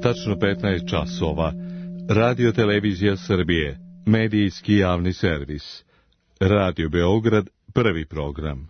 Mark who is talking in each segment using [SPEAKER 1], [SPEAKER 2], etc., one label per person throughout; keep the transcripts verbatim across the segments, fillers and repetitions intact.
[SPEAKER 1] tačno petnaest časova. Radio Televizija Srbije, medijski javni servis. Radio Beograd, prvi program.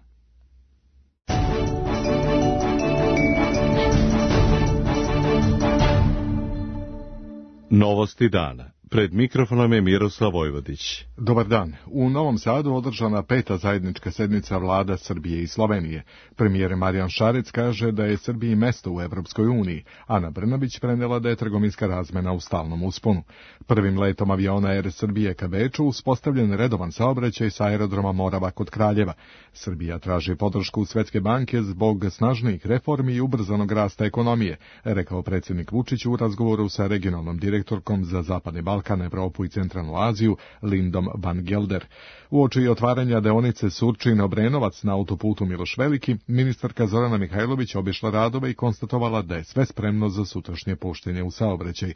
[SPEAKER 1] Novosti dana. Pred mikrofonom je Miroslav Vojvodić.
[SPEAKER 2] Dobar dan. U Novom Sadu održana peta zajednička sednica vlada Srbije i Slovenije. Premijer Marijan Šarec kaže da je Srbiji mesto u Evropskoj uniji. Ana Brnabić prenela da je trgovinska razmena u stalnom usponu. Prvim letom aviona Er Srbije ka Beču uspostavljen redovan saobraćaj sa aerodroma Morava kod Kraljeva. Srbija traži podršku Svetske banke zbog snažnijih reformi i ubrzanog rasta ekonomije, rekao predsjednik Vučić u razgovoru sa regionalnom direktorkom za Zapadni Balkan, Evropu i Centralnu Aziju, Lindom van Gelder. Uoči otvaranja deonice Surčin-Obrenovac na autoputu Miloš Veliki, ministarka Zorana Mihajlović obišla radove i konstatovala da je sve spremno za sutrašnje puštenje u saobraćaj.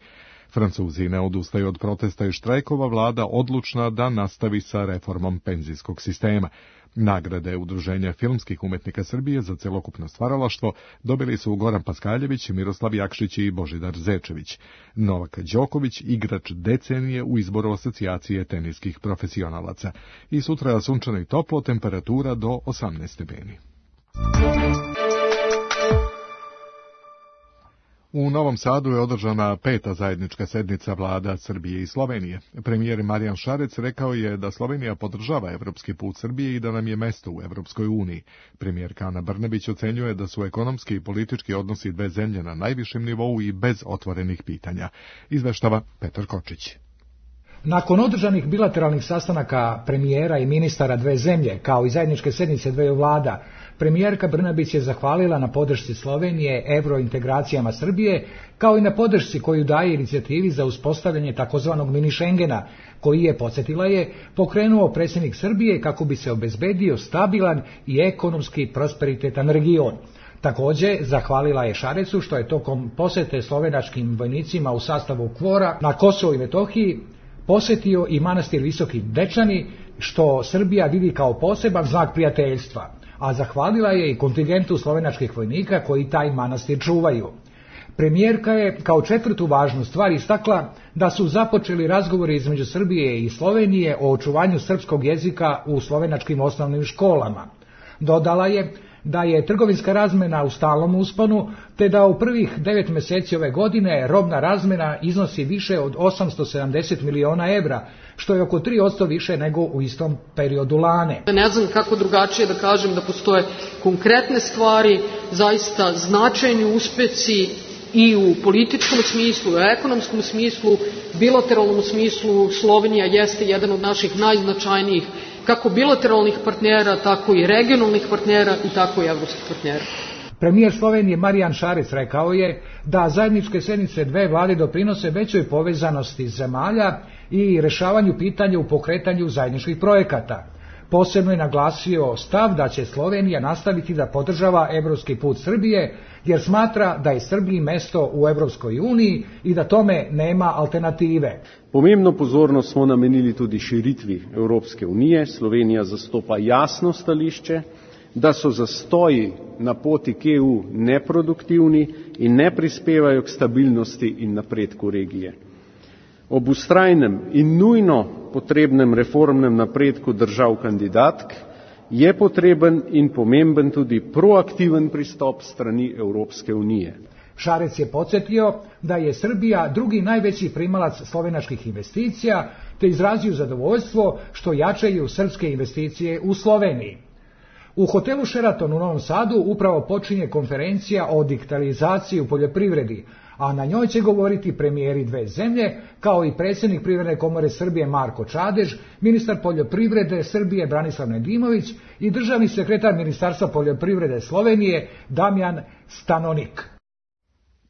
[SPEAKER 2] Francuzi ne odustaju od protesta i štrajkova, vlada odlučna da nastavi sa reformom penzijskog sistema. Nagrade Udruženja filmskih umetnika Srbije za celokupno stvaralaštvo dobili su Goran Paskaljević, Miroslav Jakšić i Božidar Zečević. Novak Đoković, igrač decenije u izboru asocijacije teniskih profesionalaca. I sutra sunčano i toplo, temperatura do osamnaest stepeni. U Novom Sadu je održana peta zajednička sednica vlada Srbije i Slovenije. Premijer Marijan Šarec rekao je da Slovenija podržava evropski put Srbije i da nam je mesto u Evropskoj uniji. Premijerka Ana Brnabić ocenjuje da su ekonomski i politički odnosi dve zemlje na najvišem nivou i bez otvorenih pitanja. Izveštava Petar Kočić.
[SPEAKER 3] Nakon održanih bilateralnih sastanaka premijera i ministara dve zemlje, kao i zajedničke sednice dveju vlada, premijerka Brnabić je zahvalila na podršci Slovenije evrointegracijama Srbije, kao i na podršci koju daje inicijativi za uspostavljanje takozvanog mini Šengena, koji je, podsjetila je, pokrenuo predsjednik Srbije kako bi se obezbedio stabilan i ekonomski prosperitetan region. Također, zahvalila je Šarecu što je tokom posjete slovenačkim vojnicima u sastavu KFOR-a na Kosovo i Metohiji posjetio i manastir Visoki Dečani, što Srbija vidi kao poseban znak prijateljstva, a zahvalila je i kontingentu slovenačkih vojnika koji taj manastir čuvaju. Premijerka je kao četvrtu važnu stvar istakla da su započeli razgovori između Srbije i Slovenije o očuvanju srpskog jezika u slovenačkim osnovnim školama. Dodala je da je trgovinska razmena u stalnom usponu, te da u prvih devet mjeseci ove godine robna razmena iznosi više od osamsto sedamdeset miliona evra, što je oko tri posto više nego u istom periodu lane.
[SPEAKER 4] Ne znam kako drugačije da kažem da postoje konkretne stvari, zaista značajni uspesi i u političkom smislu, u ekonomskom smislu, bilateralnom smislu. Slovenija jeste jedan od naših najznačajnijih kako bilateralnih partnera, tako i regionalnih partnera i tako i evropskih partnera.
[SPEAKER 3] Premijer Slovenije Marijan Šarec rekao je da zajedničke sednice dve vlade doprinose većoj povezanosti zemalja i rješavanju pitanja u pokretanju zajedničkih projekata. Posebno je naglasio stav da će Slovenija nastaviti da podržava evropski put Srbije, jer smatra da je Srbiji mesto u Evropskoj uniji i da tome nema alternative.
[SPEAKER 5] Pomembno pozornost smo namenili tudi širitvi Evropske unije. Slovenija zastopa jasno stališče, da so zastoji na poti k E U neproduktivni in ne prispevajo k stabilnosti in napredku regije. Ob vztrajnem in nujno potrebnem reformnem napredku držav kandidatk je potreben in pomemben tudi proaktiven pristop strani Evropske unije.
[SPEAKER 3] Šarec je podsjetio da je Srbija drugi najveći primalac slovenačkih investicija, te izrazio zadovoljstvo što jačaju srpske investicije u Sloveniji. U hotelu Sheraton u Novom Sadu upravo počinje konferencija o digitalizaciji u poljoprivredi, a na njoj će govoriti premijeri dve zemlje, kao i predsjednik Privredne komore Srbije Marko Čadež, ministar poljoprivrede Srbije Branislav Nedimović i državni sekretar Ministarstva poljoprivrede Slovenije Damjan Stanonik.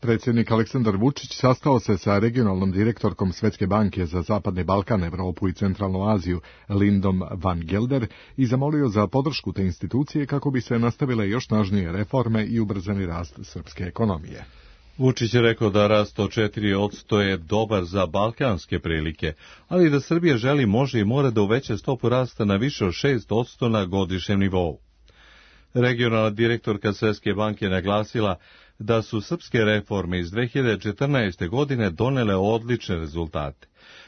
[SPEAKER 2] Predsjednik Aleksandar Vučić sastao se sa regionalnom direktorkom Svetske banke za Zapadni Balkan, Evropu i Centralnu Aziju, Lindom van Gelder, i zamolio za podršku te institucije kako bi se nastavile još snažnije reforme i ubrzani rast srpske ekonomije.
[SPEAKER 1] Vučić je rekao da rast od četiri posto je dobar za balkanske prilike, ali da Srbija želi, može i mora da uveća stopu rasta na više od šest posto na godišnjem nivou. Regionalna direktorka Svetske banke naglasila da su srpske reforme iz dve hiljade četrnaeste. godine donele odlične rezultate.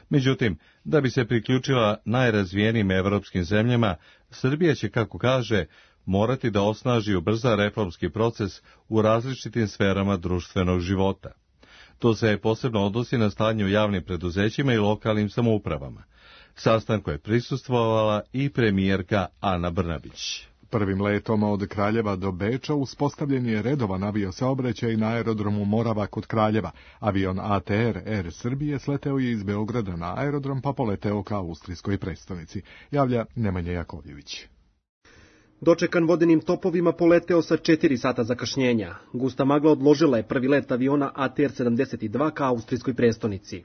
[SPEAKER 1] Međutim, da bi se priključila najrazvijenijim evropskim zemljama, Srbija će, kako kaže, morati da osnaži i ubrza reformski proces u različitim sferama društvenog života. To se posebno odnosi na stanje u javnim preduzećima i lokalnim samoupravama. Sastanku je prisustvovala i premijerka Ana Brnabić.
[SPEAKER 2] Prvim letom od Kraljeva do Beča uspostavljen je redovan aviosaobraćaj na aerodromu Morava kod Kraljeva. Avion A T R Air Srbije sleteo je iz Beograda na aerodrom pa poleteo ka austrijskoj prestonici. Javlja Nemanja Jakovljević.
[SPEAKER 6] Dočekan vodenim topovima poleteo sa četiri sata zakašnjenja. Gusta magla odložila je prvi let aviona A T R sedamdeset dva ka austrijskoj prestonici.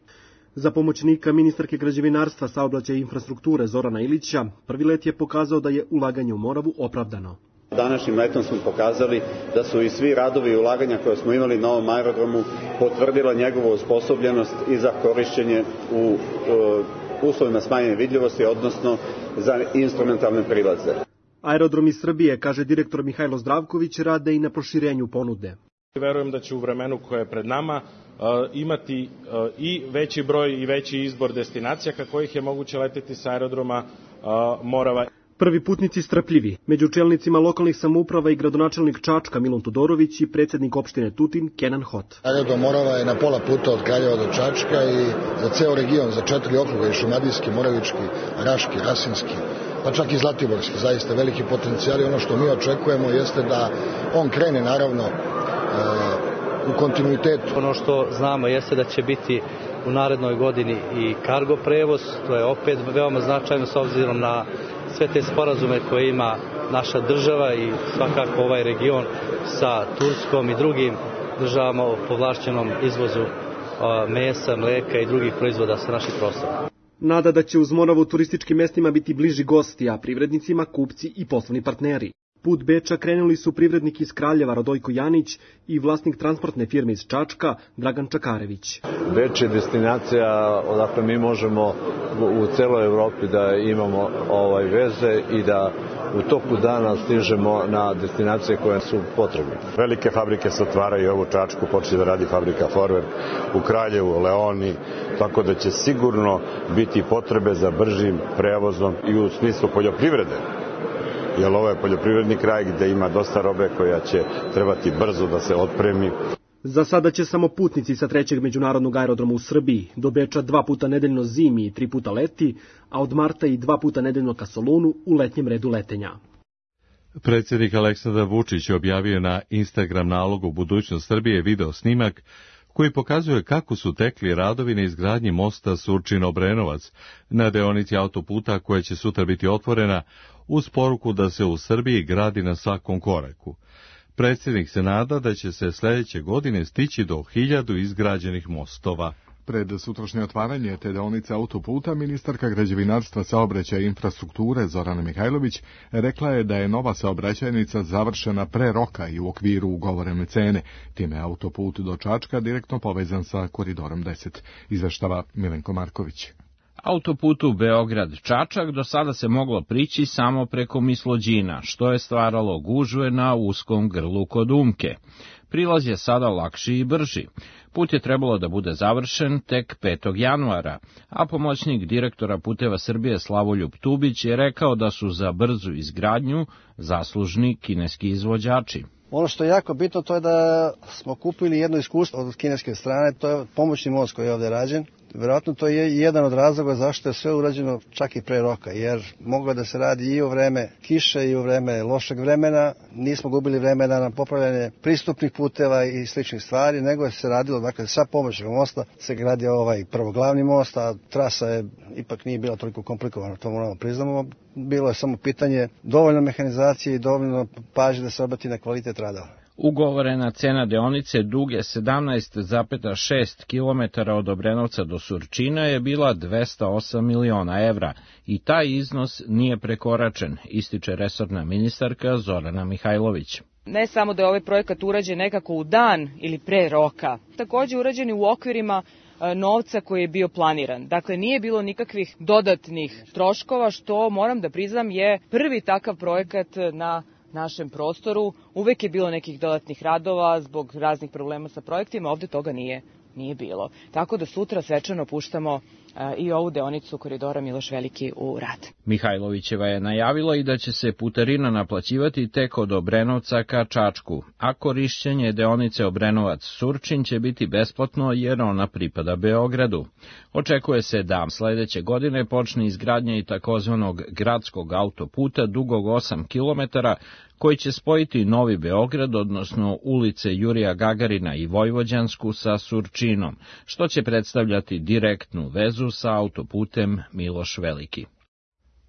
[SPEAKER 6] Za pomoćnika ministarke građevinarstva, saobraćaja i infrastrukture Zorana Ilića, prvi let je pokazao da je ulaganje u Moravu opravdano.
[SPEAKER 7] Današnjim letom smo pokazali da su i svi radovi i ulaganja koje smo imali na ovom aerodromu potvrdila njegovu osposobljenost i za korišćenje u uh, uslovima smanjene vidljivosti, odnosno za instrumentalne prilaze.
[SPEAKER 6] Aerodromi Srbije, kaže direktor Mihajlo Zdravković, rade i na proširenju ponude.
[SPEAKER 8] Verujem da će u vremenu koje je pred nama uh, imati uh, i veći broj i veći izbor destinacija ka kojih je moguće leteti sa aerodroma uh, Morava.
[SPEAKER 6] Prvi putnici strpljivi. Među čelnicima lokalnih samouprava i gradonačelnik Čačka Milun Todorović i predsjednik opštine Tutin Kenan Hot.
[SPEAKER 9] Aerodrom Morava je na pola puta od Kraljeva do Čačka i za ceo region, za četiri okruga, i Šumadijski, Moravički, Raški, Rasinski, pa čak i Zlatiborski, zaista veliki potencijal. Ono što mi očekujemo jeste da on krene naravno u kontinuitetu.
[SPEAKER 10] Ono što znamo jeste da će biti u narednoj godini i kargo prevoz, to je opet veoma značajno s obzirom na sve te sporazume koje ima naša država i svakako ovaj region sa Turskom i drugim državama o povlašćenom izvozu mesa, mleka i drugih proizvoda sa naših prostora.
[SPEAKER 6] Nada da će uz Moravu turističkim mestima biti bliži gosti, a privrednicima kupci i poslovni partneri. Put Beča krenuli su privrednik iz Kraljeva Radojko Janić i vlasnik transportne firme iz Čačka Dragan Čakarević.
[SPEAKER 11] Beč je destinacija odakle mi možemo u celoj Evropi da imamo ovaj veze i da u toku dana stižemo na destinacije koje su potrebne.
[SPEAKER 12] Velike fabrike se otvaraju u Čačku, počne da radi fabrika Forver, u Kraljevu, Leoni, tako da će sigurno biti potrebe za bržim prevozom i u smislu poljoprivrede. Jer ovo je poljoprivredni kraj gde ima dosta robe koja će trebati brzo da se otpremi.
[SPEAKER 6] Za sada će samo putnici sa trećeg međunarodnog aerodroma u Srbiji do Beča dva puta nedeljno zimi i tri puta leti, a od marta i dva puta nedeljno ka Solunu u letnjem redu letenja.
[SPEAKER 1] Predsjednik Aleksandar Vučić objavio na Instagram nalogu Budućnost Srbije video snimak koji pokazuje kako su tekli radovi na izgradnji mosta Surčin-Obrenovac na deonici autoputa koja će sutra biti otvorena, uz poruku da se u Srbiji gradi na svakom koraku. Predsjednik se nada da će se sljedeće godine stići do hiljadu izgrađenih mostova.
[SPEAKER 2] Pred sutrašnje otvaranje te deonice autoputa, ministarka građevinarstva, saobraćaja i infrastrukture Zorana Mihajlović rekla je da je nova saobraćajnica završena pre roka i u okviru ugovorene cene. Time je autoput do Čačka direktno povezan sa koridorom deset, izveštava Milenko Marković.
[SPEAKER 13] Autoputu Beograd-Čačak do sada se moglo prići samo preko Mislođina, što je stvaralo gužve na uskom grlu kod Umke. Prilaz je sada lakši i brži. Put je trebalo da bude završen tek petog januara, a pomoćnik direktora Puteva Srbije Slavoljub Tubić je rekao da su za brzu izgradnju zaslužni kineski izvođači.
[SPEAKER 14] Ono što je jako bitno to je da smo kupili jedno iskustvo od kineske strane, to je pomoćni most koji je ovdje rađen. Vjerojatno to je jedan od razloga zašto je sve urađeno čak i pre roka, jer moglo da se radi i u vreme kiše i u vreme lošeg vremena, nismo gubili vremena na popravljanje pristupnih puteva i sličnih stvari, nego je se radilo, dakle, sa pomoćnog mosta se gradio ovaj prvo glavni most, a trasa je ipak nije bila toliko komplikovana, to moramo priznamo, bilo je samo pitanje dovoljno mehanizacije i dovoljno pažnje da se obrati na kvalitet radova.
[SPEAKER 13] Ugovorena cena deonice duge sedamnaest zarez šest kilometara od Obrenovca do Surčina je bila dvesta osam miliona evra i taj iznos nije prekoračen, ističe resorna ministarka Zorana Mihajlović.
[SPEAKER 15] Ne samo da je ovaj projekat urađen nekako u dan ili pre roka, također urađen u okvirima novca koji je bio planiran. Dakle, nije bilo nikakvih dodatnih troškova, što moram da priznam je prvi takav projekat na našem prostoru. Uvek je bilo nekih dodatnih radova zbog raznih problema sa projektima, ovde toga nije, nije bilo. Tako da sutra svečano puštamo i ovu deonicu koridora Miloš Veliki u rad.
[SPEAKER 13] Mihajlovićeva je najavila i da će se putarina naplaćivati tek od Obrenovca ka Čačku, a korišćenje deonice Obrenovac-Surčin će biti besplatno jer ona pripada Beogradu. Očekuje se da sledeće godine počne izgradnja i takozvanog gradskog autoputa dugog osam kilometara, koji će spojiti Novi Beograd, odnosno ulice Jurija Gagarina i Vojvođansku sa Surčinom, što će predstavljati direktnu vezu sa autoputem Miloš Veliki.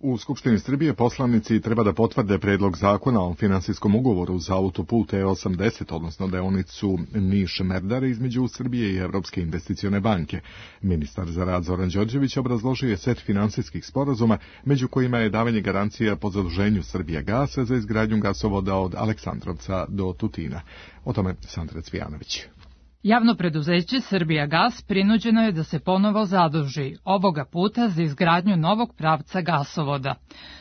[SPEAKER 2] U Skupštini Srbije poslanici treba da potvrde predlog zakona o finansijskom ugovoru za autoput E osamdeset, odnosno deonicu Niš-Merdare između Srbije i Evropske investicione banke. Ministar za rad Zoran Đorđević obrazložio je set finansijskih sporazuma, među kojima je davanje garancija po zaduženju Srbijagasa za izgradnju gasovoda od Aleksandrovca do Tutina. O tome Sandra Cvijanović.
[SPEAKER 16] Javno preduzeće Srbijagas prinuđeno je da se ponovo zaduži, ovoga puta za izgradnju novog pravca gasovoda.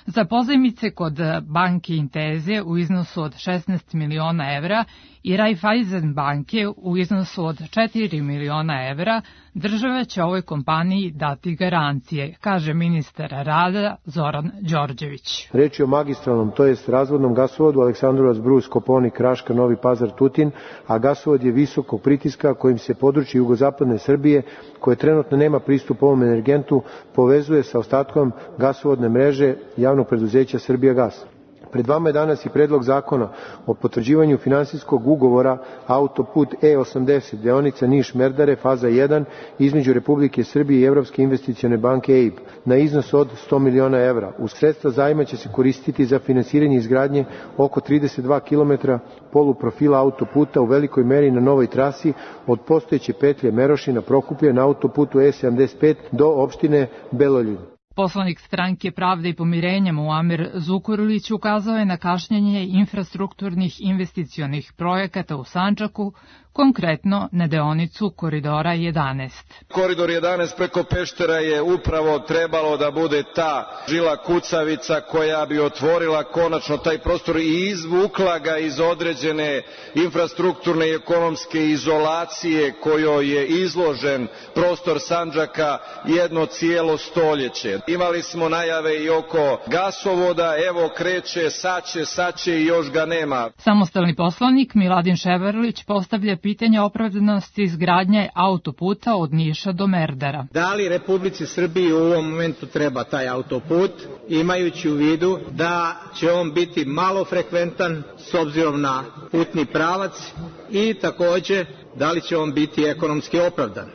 [SPEAKER 16] Za pozajmice kod banke Inteze u iznosu od šesnaest miliona evra i Raiffeisen banke u iznosu od četiri miliona evra, država će ovoj kompaniji dati garancije, kaže ministar rada Zoran Đorđević.
[SPEAKER 17] Reč je o magistralnom, to jest razvodnom gasovodu Aleksandrovac, Brus, Koponik, Raška, Novi Pazar, Tutin, a gasovod je visokog pritiska kojim se područje jugozapadne Srbije, koje trenutno nema pristup ovom energentu, povezuje sa ostatkom gasovodne mreže javnog preduzeća Srbijagas. Pred vama je danas i predlog zakona o potvrđivanju finansijskog ugovora autoput E osamdeset, deonica Niš-Merdare, faza jedan, između Republike Srbije i Evropske investicione banke E I B, na iznos od sto miliona evra. Uz sredstva zajma će se koristiti za finansiranje izgradnje oko trideset dva kilometra poluprofila autoputa u velikoj meri na novoj trasi od postojeće petlje Merošina Prokuplje na autoputu E sedamdeset pet do opštine Beloljub.
[SPEAKER 16] Poslanik stranke Pravde i pomirenja Muamer Zukorlić ukazao je na kašnjenje infrastrukturnih investicionih projekata u Sandžaku, konkretno na deonicu Koridora jedanaest.
[SPEAKER 18] Koridor jedanaest preko Peštera je upravo trebalo da bude ta žila kucavica koja bi otvorila konačno taj prostor i izvukla ga iz određene infrastrukturne i ekonomske izolacije kojoj je izložen prostor Sandžaka jedno cijelo stoljeće. Imali smo najave i oko gasovoda, evo kreće, saće, saće i još ga nema.
[SPEAKER 16] Samostalni poslanik Miladin Ševarlić postavlja pitanje opravdanosti izgradnje autoputa od Niša do Merdara.
[SPEAKER 19] Da li Republici Srbiji u ovom momentu treba taj autoput, imajući u vidu da će on biti malo frekventan s obzirom na putni pravac i takođe da li će on biti ekonomski opravdan?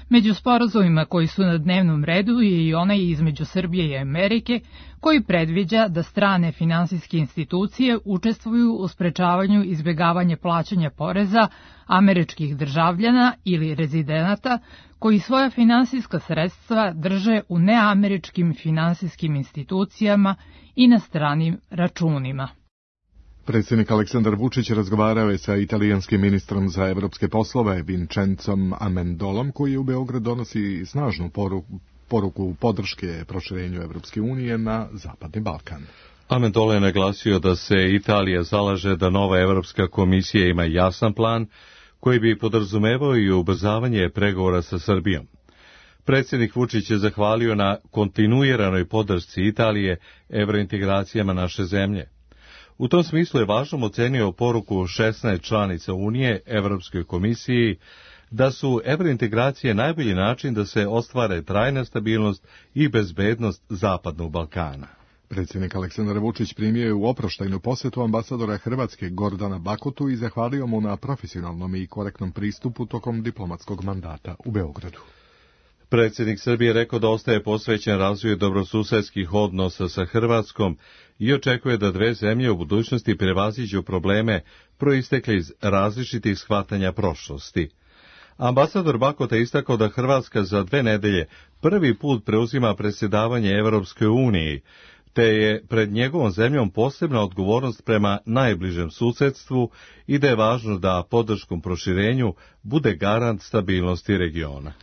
[SPEAKER 16] Među sporazumima koji su na dnevnom redu je i onaj između Srbije i Amerike, koji predviđa da strane finansijske institucije učestvuju u sprečavanju izbjegavanja plaćanja poreza američkih državljana ili rezidenata koji svoja finansijska sredstva drže u neameričkim finansijskim institucijama i na stranim računima.
[SPEAKER 2] Predsjednik Aleksandar Vučić razgovarao je sa italijanskim ministrom za evropske poslove Vincenzom Amendolom, koji u Beograd donosi snažnu poruku, poruku podrške proširenju Evropske unije na Zapadni Balkan.
[SPEAKER 1] Amendola je naglasio da se Italija zalaže da nova Evropska komisija ima jasan plan koji bi podrazumevao i ubrzavanje pregovora sa Srbijom. Predsjednik Vučić je zahvalio na kontinuiranoj podršci Italije evrointegracijama naše zemlje. U tom smislu je važnom ocenio poruku šesnaest članica Unije Evropskoj komisiji da su evrointegracije najbolji način da se ostvare trajna stabilnost i bezbednost Zapadnog Balkana.
[SPEAKER 2] Predsjednik Aleksandar Vučić primio je u oproštajnu posjetu ambasadora Hrvatske Gordana Bakotu i zahvalio mu na profesionalnom i korektnom pristupu tokom diplomatskog mandata u Beogradu.
[SPEAKER 1] Predsjednik Srbije rekao da ostaje posvećen razvoju dobrosusedskih odnosa sa Hrvatskom i očekuje da dve zemlje u budućnosti prevaziđu probleme proistekle iz različitih shvatanja prošlosti. Ambasador Bakota je istakao da Hrvatska za dve nedelje prvi put preuzima predsjedavanje Evropskoj uniji, te je pred njegovom zemljom posebna odgovornost prema najbližem susedstvu i da je važno da podrškom proširenju bude garant stabilnosti regiona.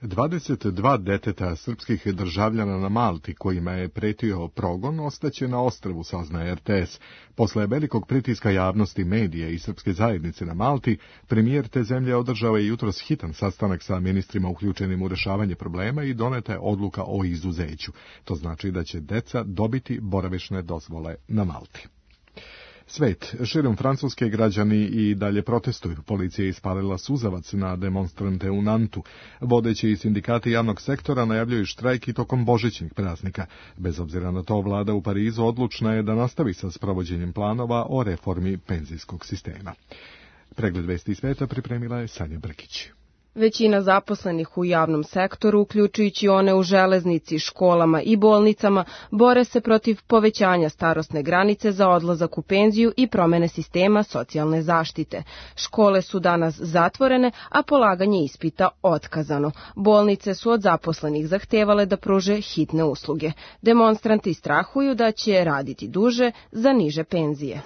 [SPEAKER 2] dvadeset dva deteta srpskih državljana na Malti kojima je pretio progon ostaće na ostrvu, saznaje R T S. Posle velikog pritiska javnosti, medija i srpske zajednice na Malti, premijer te zemlje održao je jutros hitan sastanak sa ministrima uključenim u rešavanje problema i doneta je odluka o izuzeću. To znači da će deca dobiti boravišne dozvole na Malti. Svet, širom Francuske građani i dalje protestuju. Policija je ispalila suzavac na demonstrante u Nantu. Vodeći sindikati javnog sektora najavljuju štrajk i tokom božićnih praznika. Bez obzira na to, vlada u Parizu odlučna je da nastavi sa sprovođenjem planova o reformi penzijskog sistema. Pregled vesti iz sveta pripremila je Sanja Brkić.
[SPEAKER 20] Većina zaposlenih u javnom sektoru, uključujući one u železnici, školama i bolnicama, bore se protiv povećanja starosne granice za odlazak u penziju i promene sistema socijalne zaštite. Škole su danas zatvorene, a polaganje ispita otkazano. Bolnice su od zaposlenih zahtevale da pruže hitne usluge. Demonstranti strahuju da će raditi duže za niže penzije.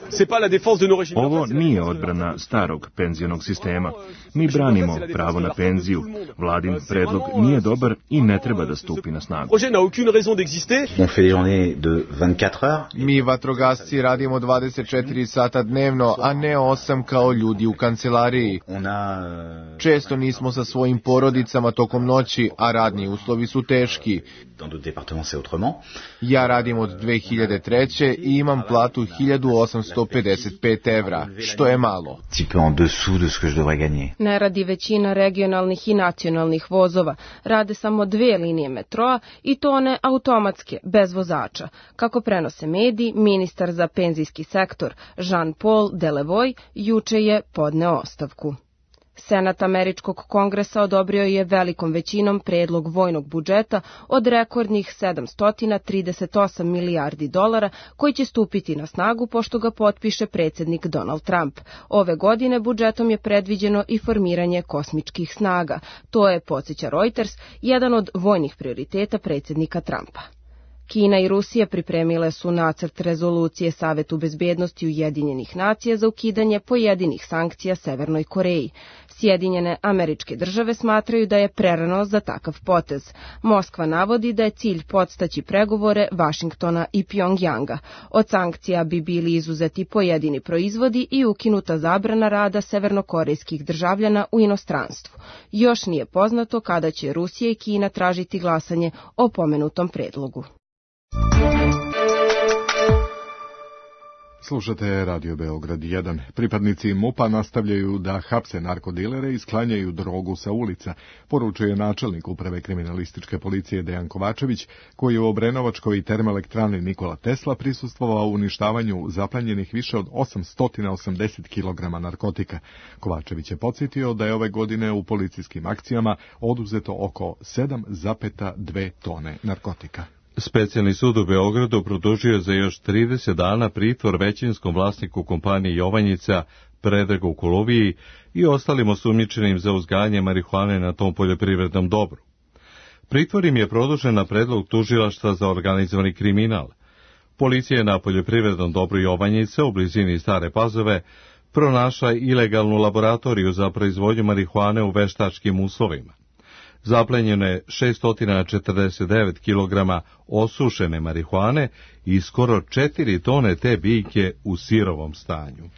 [SPEAKER 21] Ovo nije odbrana starog penzionog sistema. Mi branimo pravo na penziju. Vladin predlog nije dobar i ne treba da stupi na snagu.
[SPEAKER 22] Mi vatrogasci radimo dvadeset četiri sata dnevno, a ne osam kao ljudi u kancelariji. Često nismo sa svojim porodicama tokom noći, a radni uslovi su teški. Ja radim od dve hiljade treće. i imam platu hiljadu osamsto pedeset pet evra, što je malo.
[SPEAKER 20] Ne radi većina regionalnih i nacionalnih vozova. Rade samo dve linije metroa i to one automatske, bez vozača. Kako prenose mediji, ministar za penzijski sektor Jean-Paul Delevoye juče je podneo ostavku. Senat Američkog kongresa odobrio je velikom većinom predlog vojnog budžeta od rekordnih sedamsto trideset osam milijardi dolara koji će stupiti na snagu pošto ga potpiše predsjednik Donald Trump. Ove godine budžetom je predviđeno i formiranje kosmičkih snaga. To je, podsjeća Reuters, jedan od vojnih prioriteta predsjednika Trumpa. Kina i Rusija pripremile su nacrt rezolucije Savetu bezbednosti Ujedinjenih nacija za ukidanje pojedinih sankcija Severnoj Koreji. Sjedinjene Američke države smatraju da je prerano za takav potez. Moskva navodi da je cilj podstaći pregovore Vašingtona i Pjongjanga. Od sankcija bi bili izuzeti pojedini proizvodi i ukinuta zabrana rada severnokorejskih državljana u inostranstvu. Još nije poznato kada će Rusija i Kina tražiti glasanje o pomenutom predlogu.
[SPEAKER 2] Slušate Radio Beograd jedan. Pripadnici MUP-a nastavljaju da hapse narkodilere i sklanjaju drogu sa ulica, poručuje načelnik uprave kriminalističke policije Dejan Kovačević, koji je u Obrenovačkoj termoelektrani Nikola Tesla prisustvovao uništavanju zaplenjenih više od osamsto osamdeset kilograma narkotika. Kovačević je podsjetio da je ove godine u policijskim akcijama oduzeto oko sedam zarez dve tone narkotika.
[SPEAKER 1] Specijalni sud u Beogradu produžio za još trideset dana pritvor većinskom vlasniku kompanije Jovanjica Predragu Koluviji i ostalim osumnjičenim za uzgajanje marihuane na tom poljoprivrednom dobru. Pritvor im je produžen na predlog tužilaštva za organizovani kriminal. Policija je na poljoprivrednom dobru Jovanjice u blizini Stare Pazove pronašla ilegalnu laboratoriju za proizvodnju marihuane u veštačkim uslovima. Zaplenjeno je šesto četrdeset devet kilograma osušene marihuane i skoro četiri tone te biljke u sirovom stanju.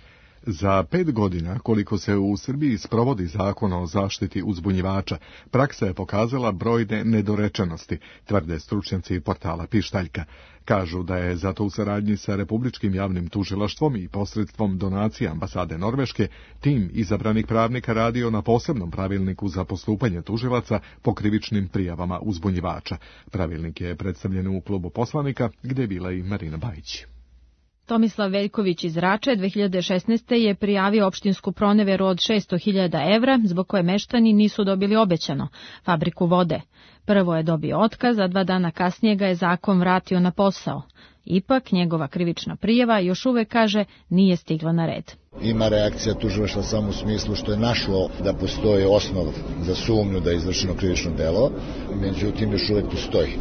[SPEAKER 2] Za pet godina, koliko se u Srbiji sprovodi zakon o zaštiti uzbunjivača, praksa je pokazala brojne nedorečenosti, tvrde stručnjaci portala Pištaljka. Kažu da je zato u saradnji sa Republičkim javnim tužilaštvom i posredstvom donacija ambasade Norveške tim izabranih pravnika radio na posebnom pravilniku za postupanje tužilaca po krivičnim prijavama uzbunjivača. Pravilnik je predstavljen u klubu poslanika, gdje je bila i Marina Bajić.
[SPEAKER 23] Tomislav Veljković iz Rače dve hiljade šesnaeste. je prijavio opštinsku proneveru od šesto hiljada evra, zbog koje meštani nisu dobili obećano, fabriku vode. Prvo je dobio otkaz, a dva dana kasnije ga je zakon vratio na posao. Ipak, njegova krivična prijava još uvek, kaže, nije stigla na red.
[SPEAKER 9] Ima reakcija tužilaštva samo u smislu što je našlo da postoji osnov za sumnju da je izvršeno krivično delo, međutim još uvek postoji.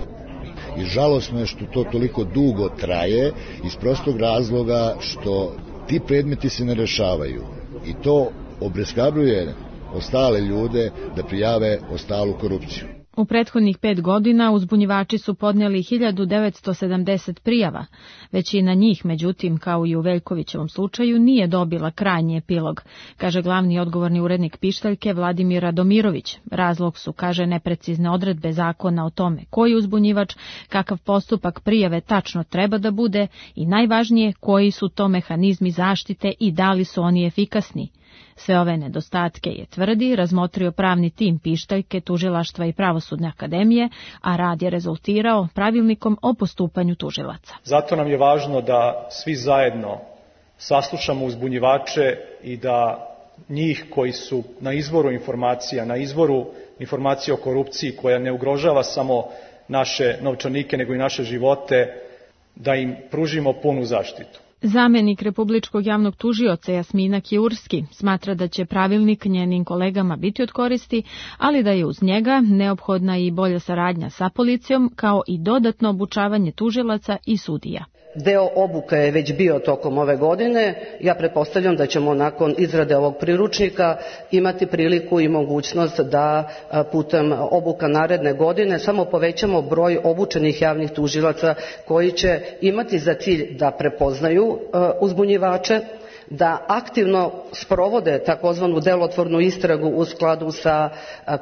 [SPEAKER 9] I žalosno je što to toliko dugo traje iz prostog razloga što ti predmeti se ne rešavaju. I to obeshrabruje ostale ljude da prijave ostalu korupciju.
[SPEAKER 23] U prethodnih pet godina uzbunjivači su podnijeli hiljadu devetsto sedamdeset prijava. Većina njih, međutim, kao i u Veljkovićevom slučaju, nije dobila krajnji epilog, kaže glavni odgovorni urednik Pištaljke Vladimir Radomirović. Razlog su, kaže, neprecizne odredbe zakona o tome koji uzbunjivač, kakav postupak prijave tačno treba da bude i najvažnije koji su to mehanizmi zaštite i da li su oni efikasni. Sve ove nedostatke je, tvrdi, razmotrio pravni tim Pištaljke, Tužilaštva i Pravosudne akademije, a rad je rezultirao pravilnikom o postupanju tužilaca.
[SPEAKER 3] Zato nam je važno da svi zajedno saslušamo uzbunjivače i da njih koji su na izvoru informacija, na izvoru informacija o korupciji koja ne ugrožava samo naše novčanike nego i naše živote, da im pružimo punu zaštitu.
[SPEAKER 23] Zamenik Republičkog javnog tužioca Jasmina Kjurski smatra da će pravilnik njenim kolegama biti od koristi, ali da je uz njega neophodna i bolja saradnja sa policijom, kao i dodatno obučavanje tužilaca i sudija.
[SPEAKER 4] Deo obuka je već bio tokom ove godine. Ja pretpostavljam da ćemo nakon izrade ovog priručnika imati priliku i mogućnost da putem obuka naredne godine samo povećamo broj obučenih javnih tužilaca koji će imati za cilj da prepoznaju uzbunjivače, da aktivno sprovode takozvanu delotvornu istragu u skladu sa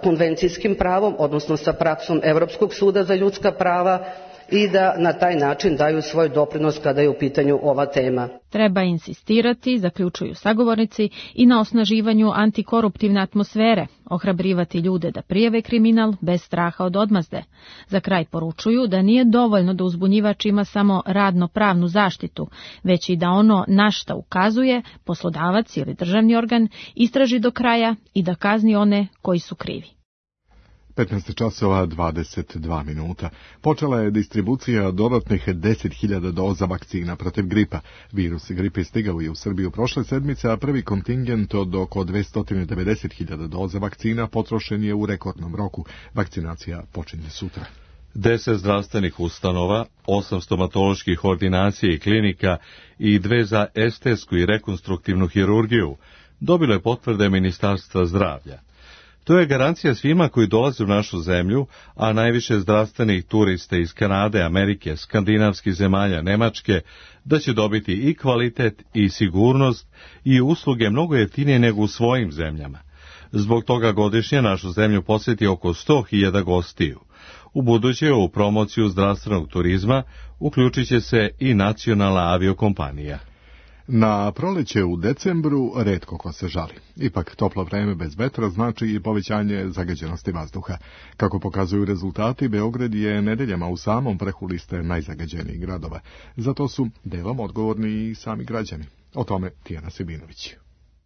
[SPEAKER 4] konvencijskim pravom, odnosno sa praksom Evropskog suda za ljudska prava, i da na taj način daju svoj doprinos kada je u pitanju ova tema.
[SPEAKER 23] Treba insistirati, zaključuju sagovornici, i na osnaživanju antikoruptivne atmosfere, ohrabrivati ljude da prijave kriminal bez straha od odmazde. Za kraj poručuju da nije dovoljno da uzbunjivač ima samo radno-pravnu zaštitu, već i da ono na šta ukazuje, poslodavac ili državni organ, istraži do kraja i da kazni one koji su krivi.
[SPEAKER 2] petnaest časova dvadeset dva minuta. Počela je distribucija dodatnih deset hiljada doza vakcina protiv gripa. Virus gripe stigao je u Srbiju prošle sedmice, a prvi kontingent od oko dvesta devedeset hiljada doza vakcina potrošen je u rekordnom roku. Vakcinacija počinje sutra.
[SPEAKER 1] Deset zdravstvenih ustanova, osam stomatoloških ordinacija i klinika i dve za estetsku i rekonstruktivnu hirurgiju dobilo je potvrde Ministarstva zdravlja. To je garancija svima koji dolaze u našu zemlju, a najviše zdravstvenih turista iz Kanade, Amerike, skandinavskih zemalja, Nemačke, da će dobiti i kvalitet i sigurnost i usluge mnogo jeftinije nego u svojim zemljama. Zbog toga godišnje našu zemlju posjeti oko sto hiljada gostiju. U buduće u promociju zdravstvenog turizma uključit će se i nacionalna aviokompanija.
[SPEAKER 2] Na proleće u decembru retko ko se žali. Ipak toplo vreme bez vetra znači i povećanje zagađenosti vazduha. Kako pokazuju rezultati, Beograd je nedeljama u samom vrhu liste najzagađenijih gradova. Zato su delom odgovorni i sami građani. O tome Tijana Sebinović.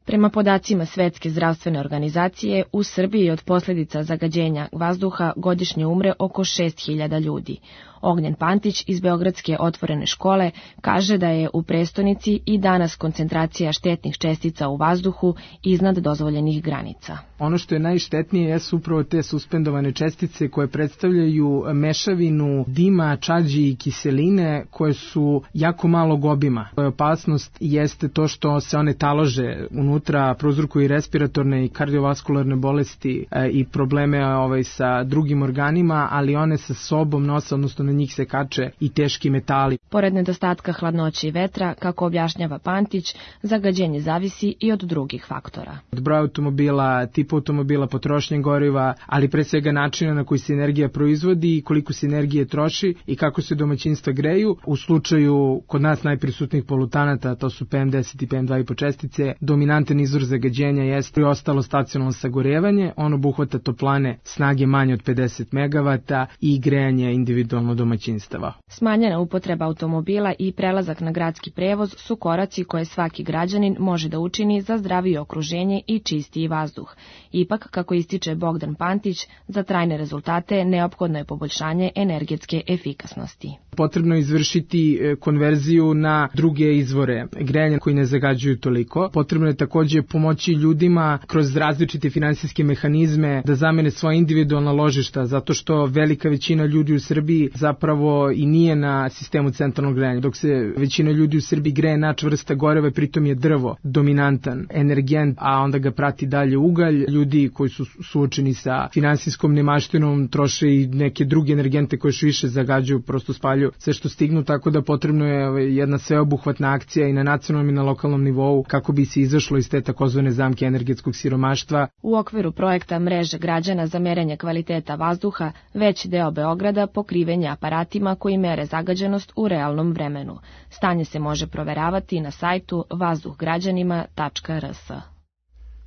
[SPEAKER 20] Prema podacima Svetske zdravstvene organizacije, u Srbiji od posljedica zagađenja vazduha godišnje umre oko šest hiljada ljudi. Ognjen Pantić iz Beogradske otvorene škole kaže da je u prestonici i danas koncentracija štetnih čestica u vazduhu iznad dozvoljenih granica.
[SPEAKER 5] Ono što je najštetnije jesu upravo te suspendovane čestice koje predstavljaju mešavinu dima, čađi i kiseline koje su jako malog obima. Opasnost jeste to što se one talože unutra, prouzrokuju i respiratorne i kardiovaskularne bolesti i probleme ovaj, sa drugim organima, ali one sa sobom nose, odnosno na njih se kače i teški metali.
[SPEAKER 20] Pored nedostatka hladnoće i vetra, kako objašnjava Pantić, zagađenje zavisi i od drugih faktora.
[SPEAKER 5] Od broja automobila, tipa automobila, potrošnje goriva, ali pre svega načina na koji se energija proizvodi i koliko se energije troši i kako se domaćinstva greju. U slučaju kod nas najprisutnijih polutanata, to su P M deset i P M dva i po čestice, dominantan izvor zagađenja jeste i ostalo stacionalno sagorevanje, ono obuhvata toplane snage manje od pedeset megavata i grejanje individualno domaćinstava.
[SPEAKER 20] Smanjena upotreba automobila i prelazak na gradski prevoz su koraci koje svaki građanin može da učini za zdravije okruženje i čistiji vazduh. Ipak, kako ističe Bogdan Pantić, za trajne rezultate neophodno je poboljšanje energetske efikasnosti.
[SPEAKER 5] Potrebno je izvršiti konverziju na druge izvore grejanja koji ne zagađuju toliko. Potrebno je takođe pomoći ljudima kroz različite finansijske mehanizme da zamene svoje individualna ložišta, zato što velika većina ljudi u Srbiji zapravo i nije na sistemu centralnog grejanja, dok se većina ljudi u Srbiji greje na čvrsta goriva, pritom je drvo dominantan energent, a onda ga prati dalje ugalj. Ljudi koji su suočeni sa finansijskom nemaštinom troše i neke druge energente koje još više zagađuju, prosto spaljuju sve što stignu, tako da potrebno je jedna sveobuhvatna akcija i na nacionalnom i na lokalnom nivou kako bi se izašlo iz te takozvane zamke energetskog siromaštva.
[SPEAKER 23] U okviru projekta Mreže građana za merenje kvaliteta vazduha, veći deo Beograda pokriven je aparatima koji mere zagađenost u realnom vremenu. Stanje se može proveravati na sajtu vazduh građanima tačka r s.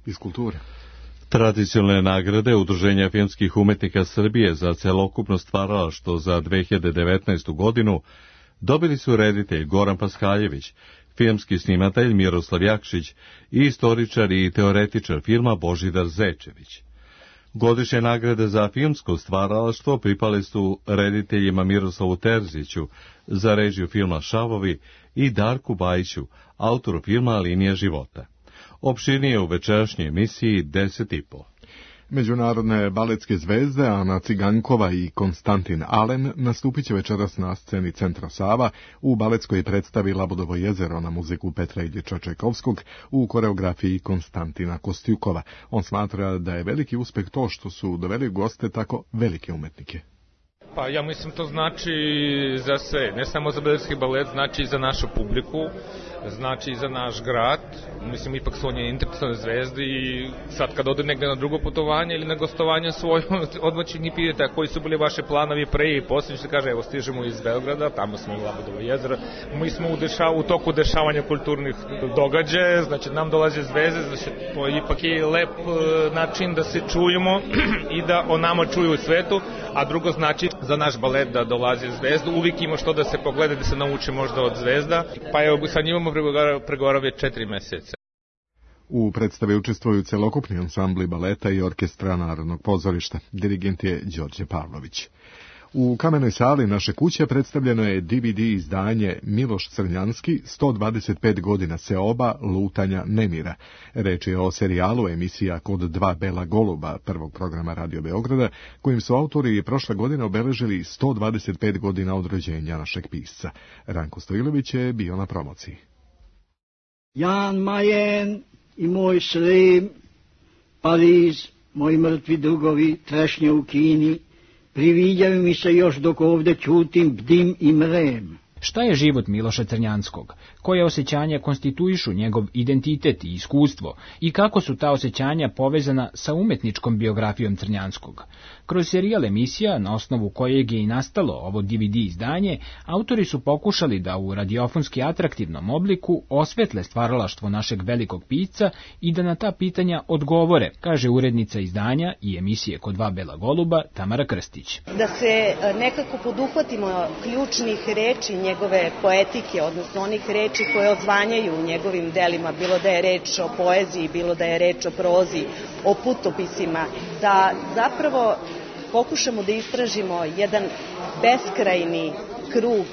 [SPEAKER 2] Iz kulture.
[SPEAKER 1] Tradicionalne nagrade Udruženja filmskih umetnika Srbije za celokupno stvaralaštvo za dve hiljade devetnaestu godinu dobili su reditelj Goran Paskaljević, filmski snimatelj Miroslav Jakšić i istoričar i teoretičar filma Božidar Zečević. Godišnje nagrade za filmsko stvaralaštvo pripale su rediteljima Miroslavu Terziću za režiju filma Šavovi i Darku Bajiću, autoru filma Linija života. Opširnije u večerašnjoj emisiji deset i po.
[SPEAKER 2] Međunarodne baletske zvezde Ana Cigankova i Konstantin Alen nastupit će večeras na sceni Centra Sava u baletskoj predstavi Labudovo jezero na muziku Petra Iljiča Čajkovskog u koreografiji Konstantina Kostjukova. On smatra da je veliki uspeh to što su doveli goste tako velike umetnike.
[SPEAKER 7] Pa ja mislim to znači za sve, ne samo za beogradski balet, znači i za našu publiku, znači i za naš grad. Mislim, ipak su oni internacionalne zvezde i sad kad ode negde na drugo putovanje ili na gostovanje svoje, odmah će njih pitati koji su bili vaše planovi pre i poslije, što kaže, evo stižemo iz Beograda, tamo smo u Labudovo jezero, mi smo u, dešav, u toku dešavanja kulturnih događaja, znači nam dolaze zvezde, znači to ipak je lep način da se čujemo i da o nama čuju u svetu, a drugo znači za naš balet da dolaze zvezdu, uvijek ima što da se pogleda, da se nauči možda od zvezda, pa evo sad njimamo pregovarao već četiri meseca.
[SPEAKER 2] U predstavi učestvuju celokupni ansambli baleta i orkestra Narodnog pozorišta. Dirigent je Đorđe Pavlović. U Kamenoj sali naše kuće predstavljeno je D V D izdanje Miloš Crnjanski, sto dvadeset pet godina seoba, lutanja, nemira. Reč je o serijalu emisija Kod dva bela goluba, prvog programa Radio Beograda, kojim su autori prošle godine obeležili sto dvadeset pet godina od rođenja našeg pisca. Ranko Stojilović je bio na promociji.
[SPEAKER 8] Jan Mayen i moj Srem, Pariz, moji mrtvi drugovi, trešnje u Kini, priviđaju mi se još dok ovde ćutim, bdim i mrem.
[SPEAKER 10] Šta je život Miloša Crnjanskog? Koje osjećanja konstituišu njegov identitet i iskustvo i kako su ta osjećanja povezana sa umetničkom biografijom Crnjanskog? Kroz serijal emisija, na osnovu kojeg je i nastalo ovo D V D izdanje, autori su pokušali da u radiofonski atraktivnom obliku osvetle stvaralaštvo našeg velikog pisca i da na ta pitanja odgovore, kaže urednica izdanja i emisije Kod dva bela goluba Tamara Krstić.
[SPEAKER 24] Da se nekako poduhvatimo ključnih reči njegove poetike, odnosno onih reči koje odzvanjaju u njegovim delima, bilo da je reč o poeziji, bilo da je reč o prozi, o putopisima, da zapravo pokušamo da istražimo jedan beskrajni krug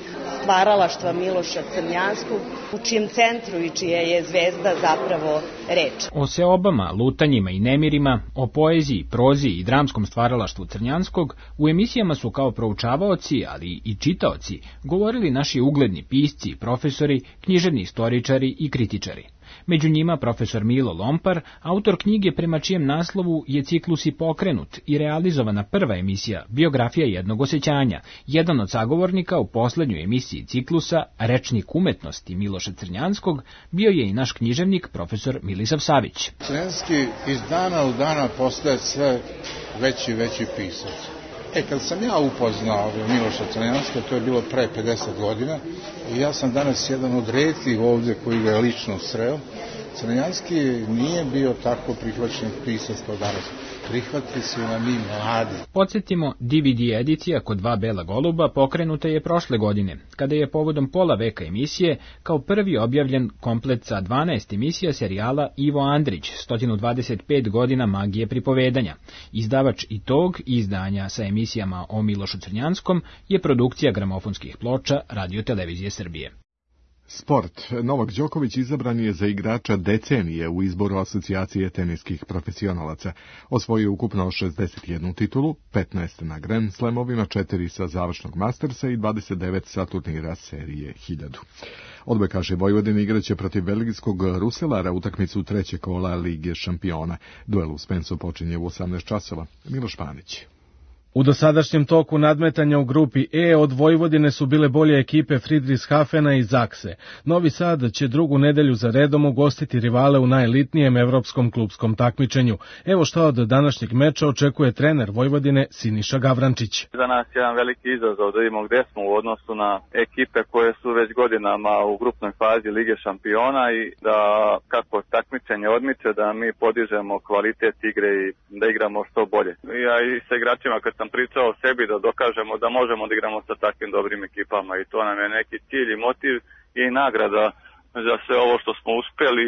[SPEAKER 24] stvaralaštva Miloša Crnjanskog, u čijem centru i čija je zvezda zapravo reč.
[SPEAKER 10] O seobama, lutanjima i nemirima, o poeziji, prozi i dramskom stvaralaštvu Crnjanskog u emisijama su kao proučavaoci, ali i čitaoci, govorili naši ugledni pisci, profesori, književni istoričari i kritičari. Među njima profesor Milo Lompar, autor knjige prema čijem naslovu je ciklus i pokrenut i realizovana prva emisija Biografija jednog osjećanja. Jedan od sagovornika u poslednjoj emisiji ciklusa, Rečnik umetnosti Miloša Crnjanskog, bio je i naš književnik profesor Milisav Savić.
[SPEAKER 25] Crnjanski iz dana u dana postaje sve veći i veći pisac. E, kad sam ja upoznao Miloša Crnjanska, to je bilo pre pedeset godina, i ja sam danas jedan od retkih ovdje koji ga je lično sreo. Crnjanski nije bio tako prihvaćen pisac kao danas. Prihvati su na mi mladi.
[SPEAKER 10] Podsjetimo, D V D edicija Kod dva bela goluba pokrenuta je prošle godine, kada je povodom pola veka emisije kao prvi objavljen komplet sa dvanaest emisija serijala Ivo Andrić, sto dvadeset pet godina magije pripovedanja. Izdavač i tog izdanja sa emisijama o Milošu Crnjanskom je produkcija gramofonskih ploča Radio Televizije Srbije.
[SPEAKER 2] Sport. Novak Đoković izabran je za igrača decenije u izboru asocijacije teniskih profesionalaca. Osvojio ukupno šezdeset jednu titulu, petnaest na Grand Slamovima, četiri sa završnog Mastersa i dvadeset devet sa turnira serije hiljadu. Odbojkaši Vojvodine igraće protiv belgijskog Ruselara utakmicu trećeg kola Lige šampiona. Duel u Spensu počinje u osamnaest časova. Miloš Panić.
[SPEAKER 6] U dosadašnjem toku nadmetanja u grupi E od Vojvodine su bile bolje ekipe Friedrichshafena i Zakse. Novi Sad će drugu nedelju za redom ugostiti rivale u najelitnijem evropskom klupskom takmičenju. Evo šta od današnjeg meča očekuje trener Vojvodine Siniša Gavrančić.
[SPEAKER 11] Za nas je jedan veliki izazov da vidimo gde smo u odnosu na ekipe koje su već godinama u grupnoj fazi Lige šampiona i da kako takmičenje odmiče da mi podižemo kvalitet igre i da igramo što bolje. Ja i sa igračima kad sam pričao o sebi da dokažemo da možemo da igramo sa takvim dobrim ekipama i to nam je neki cilj i motiv i nagrada za sve ovo što smo uspeli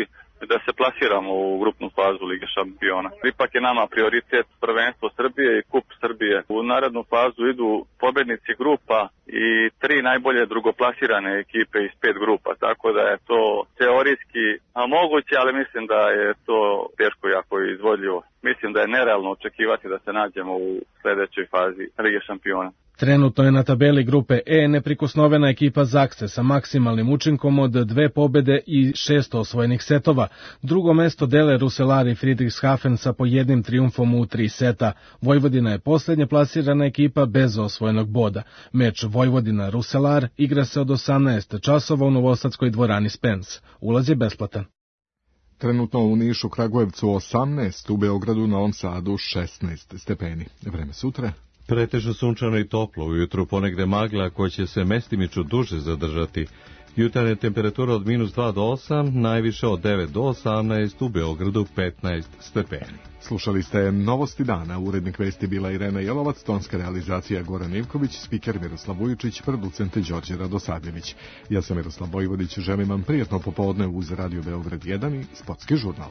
[SPEAKER 11] da se plasiramo u grupnu fazu Lige šampiona. Ipak je nama prioritet prvenstvo Srbije i kup Srbije. U narednu fazu idu pobednici grupa i tri najbolje drugoplasirane ekipe iz pet grupa, tako da je to teorijski moguće, ali mislim da je to teško jako izvodljivo. Mislim da je nerealno očekivati da se nađemo u sledećoj fazi Lige šampiona.
[SPEAKER 6] Trenutno je na tabeli grupe E neprikosnovena ekipa Zakse sa maksimalnim učinkom od dve pobede i šest osvojenih setova. Drugo mesto dele Ruselar i Friedrichshafen sa po jednim trijumfom u tri seta. Vojvodina je posljednje plasirana ekipa bez osvojenog boda. Meč Vojvodina-Ruselar igra se od osamnaest časova u novosadskoj dvorani Spens. Ulaz je besplatan.
[SPEAKER 2] Trenutno u Nišu, Kragujevcu osamnaest, u Beogradu, Novom Sadu šesnaest stepeni. Vreme sutra.
[SPEAKER 1] Pretežno sunčano i toplo, ujutru ponegde magla koja će se mestimično duže zadržati. Jutarnja temperatura od minus dva do osam, najviše od devet do osamnaest, u Beogradu petnaest stepeni.
[SPEAKER 2] Slušali ste Novosti dana, urednik vesti bila Irena Jelovac, tonska realizacija Goran Ivković, spiker Miroslav Vujičić, producent Đorđe Radosavljević. Ja sam Miroslav Vojvodić, želim vam prijatno popodne uz Radio Beograd jedan i Sportski žurnal.